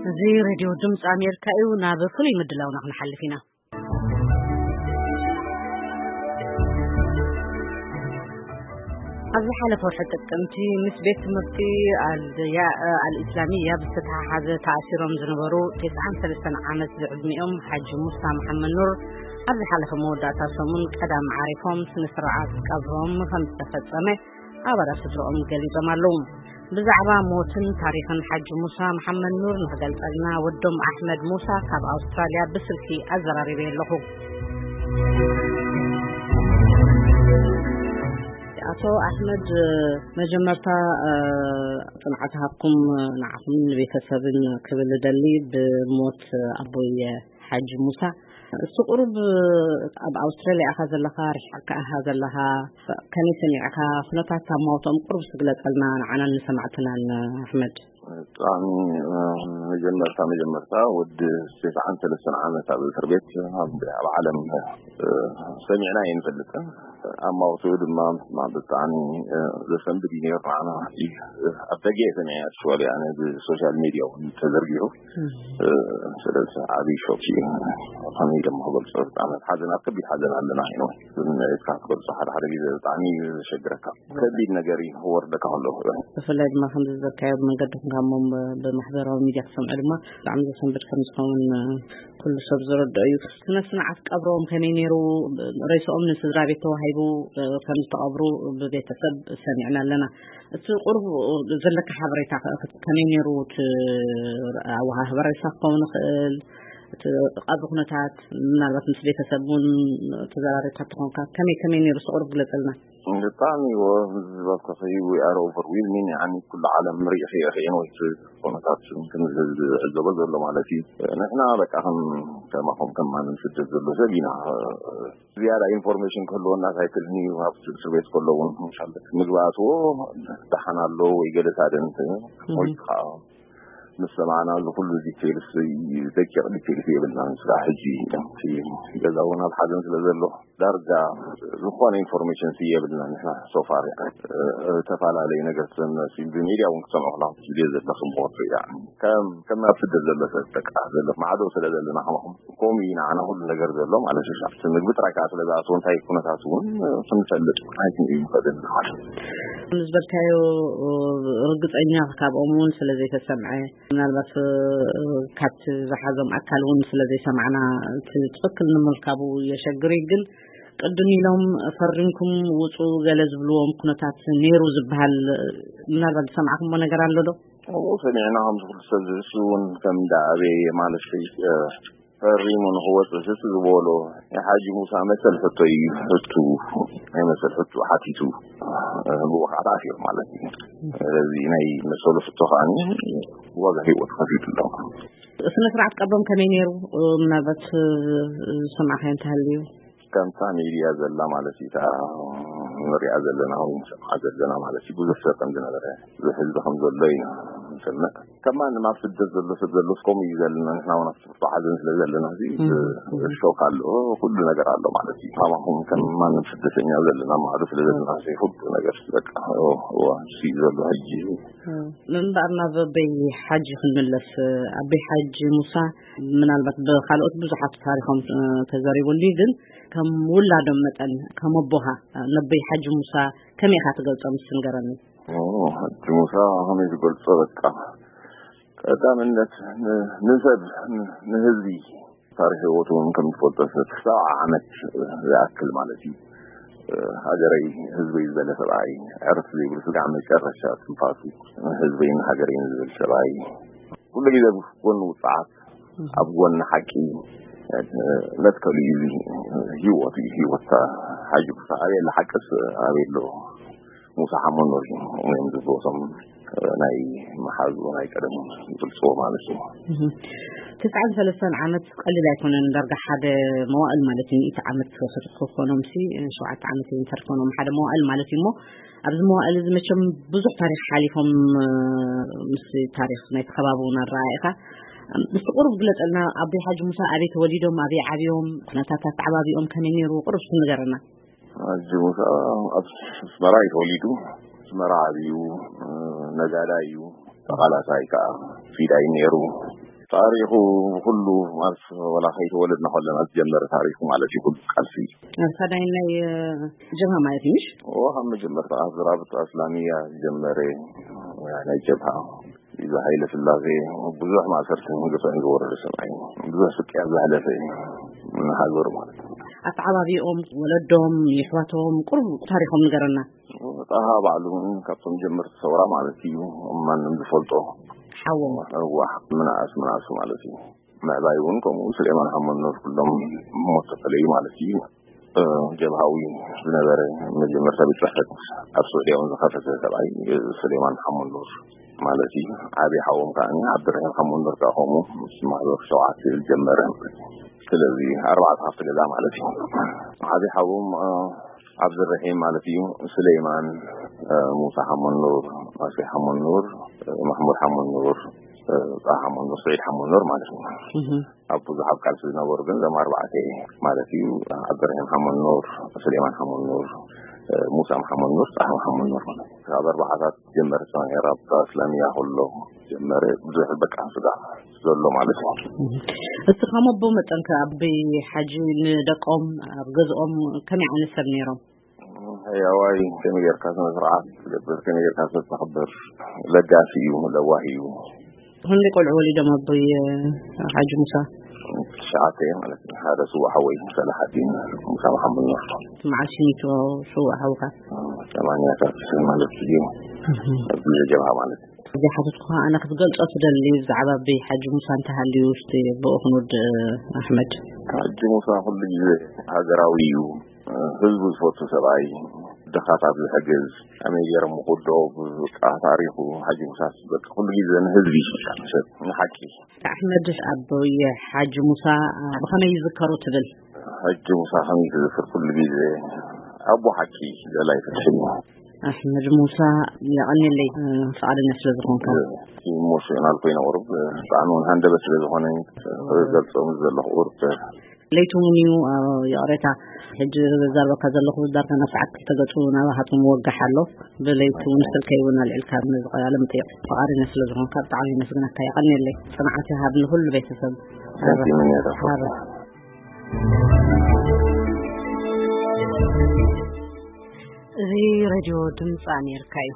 እዚ ሬድዮ ድምፂ ኣሜሪካ እዩ። ናብ ፍሉይ ምድላውና ክንሓልፍ ኢና። ኣብ ዝሓለፈ ወርሒ ጥቅምቲ ምስ ቤት ትምህርቲ ኣልያ-፣ ኣልኢስላሚያ ብዝተተሓሓዘ ተኣሲሮም ዝነበሩ ተስዓን ሰለስተን ዓመት ዝዕድሚኦም ሓጂ ሙሳ መሓመድ ኑር ኣብ ዝሓለፈ መወዳእታ ሰሙን ቀዳም ዓሪፎም ስነ ስርዓት ቀብሮም ከም ዝተፈጸመ ኣባላት ስድራኦም ገሊጾም ኣለዉ። ብዛዕባ ሞትን ታሪኽን ሓጂ ሙሳ መሓመድ ኑር ንኽገልጸልና ወዶም ኣሕመድ ሙሳ ካብ ኣውስትራልያ ብስልኪ ኣዘራሪበ ኣለኹ። ኣቶ ኣሕመድ፣ መጀመርታ፣ እ፣ ጽንዓት ሃብኩም ንዓኹምን ንቤተሰብን ክብል እደሊ ብሞት ኣቦይ ሓጂ ሙሳ። እስቲ ቁሩብ ኣብ ኣውስትራልያ ኢኻ ዘለኻ፣ ርሒቕካ ኢኻ ዘለኻ፣ ከመይ ሰሚዕካ? ኩነታት ኣማውትኦም ቁሩብ ስግለጸልና ንዓናን ንሰማዕትናን ኣሕመድ። ብጣዕሚ፣ እ፣ መጀመርታ፣ መጀመርታ ወዲ ተስዓን ሰለስተን ዓመት ኣብ እስር ቤት ኣብ፣ ኣብ ዓለም፣ እ፣ ሰሚዕና ኣይንፈልጥን። ኣማውትኡ ድማ ብጣዕሚ፣ እ፣ ዘሰንብድ እዩ ነይሩ። ንዓና፣ እ፣ ኣብ ደገ እየ ሰሚዐ፣ ኣክቹዋሊ፣ ኣነ ብሶሻል ሚድያ እውን ተዘርጊሑ። እ፣ ስለዚ ዓብዪ ሾክ እዩ። ከመይ ኢለ ክገልጾ፣ ብጣዕሚ ኣብ ሓዘን፣ ኣብ ከቢድ ሓዘን ኣለና። ኢኖ፣ ኢልካ ክትገልጾ ሓደ ሓደ ግዜ ብጣዕሚ እዩ ዘሸግረካ። ከቢድ ነገር እዩ ክወርደካ ከሎ። ብፍላይ ድማ ከምዚ ዝበልካዮ ብመንገዲ ኮንካ እሞ ብ-፣ ብማሕበራዊ ሚድያ ክትሰምዖ ድማ ብጣዕሚ ዘሰንብድ ከም ዝኸውን፣ እ፣ ኩሉ ሰብ ዝረድኦ እዩ። ስነ ስርዓት ቀብሮም ከመይ ነይሩ? ሬስኦም ንስድራ ቤት ተዋሂቡ፣ እ፣ ከም ዝተቐብሩ ብቤተሰብ ሰሚዕና ኣለና። እቲ ቁሩብ ዘለካ ሓበሬታ ከ ከመይ ነይሩ? እቲ ኣወሃህባ ሬሳ ክኸውን ይኽእል፣ እቲ ቀብሪ ኩነታት ምናልባት ምስ ቤተሰብ እውን ተዘራሪብካ ትኾንካ፣ ከመይ ከመይ ነይሩ? እስቲ ቁሩብ ግለጸልና። ብጣዕሚ እዎ፣ ዝበልኩኺ፣ we are overwhelming፣ ያኒ ኩሉ ዓለም ሪኢኺ ኢኺ፣ ወይ ኩነታት ከም ዝዕዘቦ ዘሎ ማለት እዩ። ንሕና በቃ ከም፣ ከማኹም ከም ማንም ስደት ዘሎ ሰብ ኢና። ዝያዳ ኢንፎርሜሽን ክህልወና ኣይክእልን እዩ። ኣብ እስር ቤት ከሎ እውን፣ መሻል ምግባእትዎ ደሓን ኣሎ ወይ ገለ ሳደንት ወይ ከዓ ምስ ሰማዕና፣ እዚ ኩሉ ዲቴልስ፣ ደቂቕ ዲቴልስ የብልናን። ስራሕ ሕጂ እቲ ገዛ እውን ኣብ ሓዘን ስለ ዘሎ፣ ዳርጋ ዝኾነ ኢንፎርሜሽን የብልናን። ንሕና ሶፋር፣ እ፣ ተፈላለዩ ነገር ትሰምዕ፣ ብሚድያ እውን ክትሰምዑ ከለኹም ትብልዮ ዘለኹም፣ ሞት፣ ያኒ፣ ከም፣ ከም ኣብ ስደት ዘሎ ሰብ፣ በቃ፣ ዘሎ ማዕዶ ስለ ዘለና፣ ከማኹም ከምኡ እዩ ንዓና ኩሉ ነገር ዘሎ ማለት እዩ። ኣብቲ ምግቢ ጥራይ ከዓ ስለ ዝኣተወ፣ እንታይ ኩነታት እውን ክንፈልጥ ኣይክንእዩ ንኽእል ማለት እዩ። ከም ዝበልካዮ፣ ርግጸኛ ካብኦም እውን ስለ ዘይተሰምዐ፣ ምናልባት፣ እ፣ ካብቲ ዝሓዞም ኣካል እውን ስለ ዘይሰማዕና፣ እቲ ትኽክል ንምርካቡ የሸግር እዩ። ግን ቅድም ኢሎም ፈሪምኩም ውጹ ገለ ዝብልዎም ኩነታት ነይሩ ዝበሃል፣ ምናልባት ዝሰማዕኩምዎ ነገር ኣሎ ዶ? ኣብኡ ሰሚዕና፣ ከምዚ ኩሉ ሰብ ዝሕሱ እውን ከም እንዳ ኣበየ ማለት እዩ፣ እ፣ ፈሪሙ ንኽወጽእ ስስ ዝበሎ ናይ ሓጂ ሙሳ መሰል ሕቶ እዩ። ሕቱ፣ ናይ መሰል ሕቱ ሓቲቱ፣ እ፣ ብኡ ከዓ ተኣሲሩ ማለት እዩ። ስለዚ ናይ መሰሉ ሕቶ ከዓኒ ዋጋ ህይወት ከፊሉ ኣሎ። ስነ ስርዓት ቀብሮም ከመይ ነይሩ? ምናልባት፣ እ፣ ዝሰማዕካዮ እንተሃልዩ? ከምታ ሚድያ ዘላ ማለት እዩ፣ እታ ንሪኣ ዘለና ወይ ንሰምዓ ዘለና ማለት እዩ። ብዙሕ ሰብ ከም ዝነበረ፣ ብዙሕ ህዝቢ ከም ዘሎ ኢና ንሰምዕ። ከም ማንም ኣብ ስደት ዘሎ ሰብ ዘሎ ከምኡ እዩ ዘለና። ንሕና እውን ኣብ ብርቱ ሓዘን ስለ ዘለና፣ እዚ እም፣ እም። ሾክ ኣሎ፣ ኩሉ ነገር ኣሎ ማለት እዩ። ከማኹም ከም ማንም ስደተኛ ዘለና ማዕዶ ስለ ዘለና፣ እዚ ኩሉ ነገር በቃ፣ ኦ፣ ኦ፣ እዚ ዘሎ ሕጂ። እም። ምንባር ናብ ኣበይ ሓጂ ክንምለስ፣ ኣበይ ሓጂ ሙሳ ምናልባት ብኻልኦት ብዙሓት ታሪኾም፣ እ፣ ተዘሪቡሉ እዩ፣ ግን ከም ውላዶም መጠን፣ ከም ኣቦኻ፣ እ፣ ነቦይ ሓጂ ሙሳ ከመይ ኢኻ ትገልጾም? እስቲ ንገረኒ። ኦ፣ ሓጂ ሙሳ ከመይ ዝገልጾ፣ በቃ፣ ቀዳምነት ን-፣ ንሰብ፣ ን-፣ ንህዝቢ፣ ታሪኽ ህይወቱ እውን ከም ትፈልጦ፣ ሰብዓ ዓመት ዝኣክል ማለት እዩ። ሃገረይ፣ ህዝበይ ዝበለ ሰብኣይ፣ ዕርፍ ዘይብሉ ስጋዕ መጨረሻ ትንፋሱ፣ ህዝበይን ሃገረይን ዝብል ሰብኣይ፣ ኩሉ ግዜ ኣብ ጎኒ ውፅዓት፣ ኣብ ጎኒ ሓቂ፣ መትከሉ እዩ። እዚ ህይወት እዩ፣ ህይወት ሓጂ ሙሳ። ኣበይ ኣሎ ሓቅስ፣ ኣበይ ኣሎ ሙሳ ሓመድ ኑር እዮም ዝብልዎ እቶም ናይ መሓዙ ናይ ቀደም ይገልፅዎ ማለት እዩ። እህ። ትስዓን ሰለስተን ዓመት ቀሊል ኣይኮነን። ዳርጋ ሓደ መዋእል ማለት እዩ። ሚእቲ ዓመት ክኾኖም ሲ ሸውዓተ ዓመት እዩ እንተድኮኖም ሓደ መዋእል ማለት እዩ። እሞ ኣብዚ መዋእል እዚ መቸም ብዙሕ ታሪኽ ሓሊፎም፣ እ፣ ምስ ታሪኽ ናይቲ ከባቢ እውን ኣረኣኢኻ። ምስቲ ቁሩብ ግለጸልና፣ ኣቦይ ሓጂ ሙሳ ኣበይ ተወሊዶም፣ ኣበይ ዓብዮም፣ ኩነታት ኣተዓባቢኦም ከመይ ነይሩ? ቁሩብ እስኪ ንገረና። ሓጂ ሙሳ ኣብ ኣስመራ እዩ ተወሊዱ። ኣስመራ ዓብዩ፣ እ፣ ነጋዳይ እዩ። ተቓላሳይ ከዓ ፊዳይ ነይሩ። ታሪኹ ኩሉ ማለት ወላ ከይተወለድና ከለና ዝጀመረ ታሪኹ ማለት እዩ። ኩሉ ቃልሲ ኣሳዳይናይ ጀብሃ ማለት እዩ፣ ምሽ? እዎ፣ ካብ መጀመርታ ካብ ዝራብጣ እስላሚያ ዝጀመረ ናይ ጀብሃ፣ እዚ ሃይለ ስላሴ ብዙሕ ማእሰርትን ግፍዕን ዝወረደ ሰብኣይ፣ ብዙሕ ስቅያ ዘሕለፈ ንሃገሩ ማለት እዩ። ኣተዓባቢኦም፣ ወለዶም፣ የሕዋቶም፣ ቁሩብ ታሪኾም ንገረና። ጣሃ ባዕሉ እውን ካብቶም ጀመርቲ ሰውራ ማለት እዩ። ማንም ዝፈልጦ ሓዎም። እዋ፣ ምንኣስ ምንኣሱ ማለት እዩ። ምዕባይ እውን ከምኡ። ስሌማን ሓመድ ኑር ኩሎም ሞት ተፈለዩ ማለት እዩ። እ፣ ጀብሃዊ ዝነበረ መጀመርታ ቤት ጽሕፈት ኣብ ስዑድያ እውን ዝኸፈተ ሰብኣይ፣ እ፣ ስሌማን ሓመድ ኑር ማለት እዩ። ዓቢ ሓዎም ከኣ ዓብድራሂም ሓመድ ኑር ከኣ ከምኡ ምስ ማሕበር ሸውዓተ ዝጀመረ። ስለዚ ኣርባዕተ ሃፍቲ ገዛ ማለት እዩ። ዓቢ ሓዎም፣ እ፣ ዓብድራሂም ማለት እዩ። ስሌማን፣ እ፣ ሙሳ ሓመድ ኑር፣ ማሴ ሓመድ ኑር፣ እ፣ ማሕሙድ ሓመድ ኑር፣ እ፣ ጣሃ ሓመድ ኑር፣ ስዒድ ሓመድ ኑር ማለት እዩ። እህ። ኣብ ብዙሕ ኣብ ቃልሲ ዝነበሩ ግን እዞም ኣርባዕተ ማለት እዩ። ዓብድራሂም ሓመድ ኑር፣ ስሌማን ሓመድ ኑር፣ እ፣ ሙሳ ሓመድ ኑር፣ ጣሃ ሓመድ ኑር ማለት እዩ። ካብ ኣርባዓታት ጀመረ ሰማንያ ራብጣ እስላሚያ ከሎ ጀመረ ብዙሕ በቃ ስጋ ዘሎ ማለት እዩ። እህ። እስኻ መቦ መጠንከ ኣብ ሓጂ ንደቆም ኣብ ገዝኦም ከመይ ዓይነት ሰብ ነይሮም? ሕያዋይ፣ ከመይ ጌርካ ስነ ስርዓት ትገብር፣ ከመይ ጌርካ ሰብ ተኽብር፣ ለጋሲ እዩ፣ ለዋህ እዩ። ክንደይ ቆልዑ ወሊዶም ኣቦይ ሓጂ ሙሳ? ትሽዓተ ማለት እዩ። ሓደ ስዉእ ሓወይ ሰላሓዲን ሙሳ መሓመድ ኑር። መዓስ ሽኒቶ ስዉእ ሓውካ? ሰማንያታት ማለት እዩ። እህ። ኣብዚ ጀብሃ ማለት እዩ። እዚ ሓተትኩኻ ኣነ ክትገልጾ ትደሊ ብዛዕባ ኣቦይ ሓጂ ሙሳ እንተሃልዩ እስቲ ብኡ ክንውድእ ኣሕመድ። ሓጂ ሙሳ ኩሉ ግዜ ሃገራዊ እዩ። ህዝቡ ዝፈቱ ሰብኣይ፣ ድኻታት ዝሕግዝ፣ ከመይ ገይሮም ክውድኦ፣ በቃ ታሪኹ ሓጂ ሙሳስ በቃ ኩሉ ግዜ ንህዝቢ ይሽቃ፣ ንሰብ፣ ንሓቂ። ኣሕመድ ኣቦይ ሓጂ ሙሳ ብኸመይ ይዝከሩ ትብል? ሓጂ ሙሳ ከመይ ትዝክር ኩሉ ግዜ ኣቦ ሓቂ ደላይ ፍትሒ። ኣሕመድ ሙሳ የቐንየለይ ፍቓደኛ ስለ ዝኾንካ። ኢሞሽናል ኮይነ ቁሩብ ብጣዕሚ እውን ሃንደበት ስለ ዝኾነ ገልጾም ዘለኹ ቁሩብ ለይቱ እውን እዩ፣ እ፣ ይቕሬታ፣ ሕጂ ዘዛርበካ ዘለኹ ዳርጋ ናብ ሰዓት ክልተ ገጹ ናባኻትኩም ወጋሕ ኣሎ። ብለይቱ እውን ስልከይ እውን ኣልዒልካ ነዚ ቃለ መጠይቕ ፍቓደኛ ስለ ዝኾንካ ብጣዕሚ የመስግነካ። የቐንየለይ። ጽንዓት ይሃብ ንኹሉ ቤተሰብ። Thank you፣ ሚኒያ። ሃባ። እዚ ሬድዮ ድምፂ ኣሜሪካ እዩ።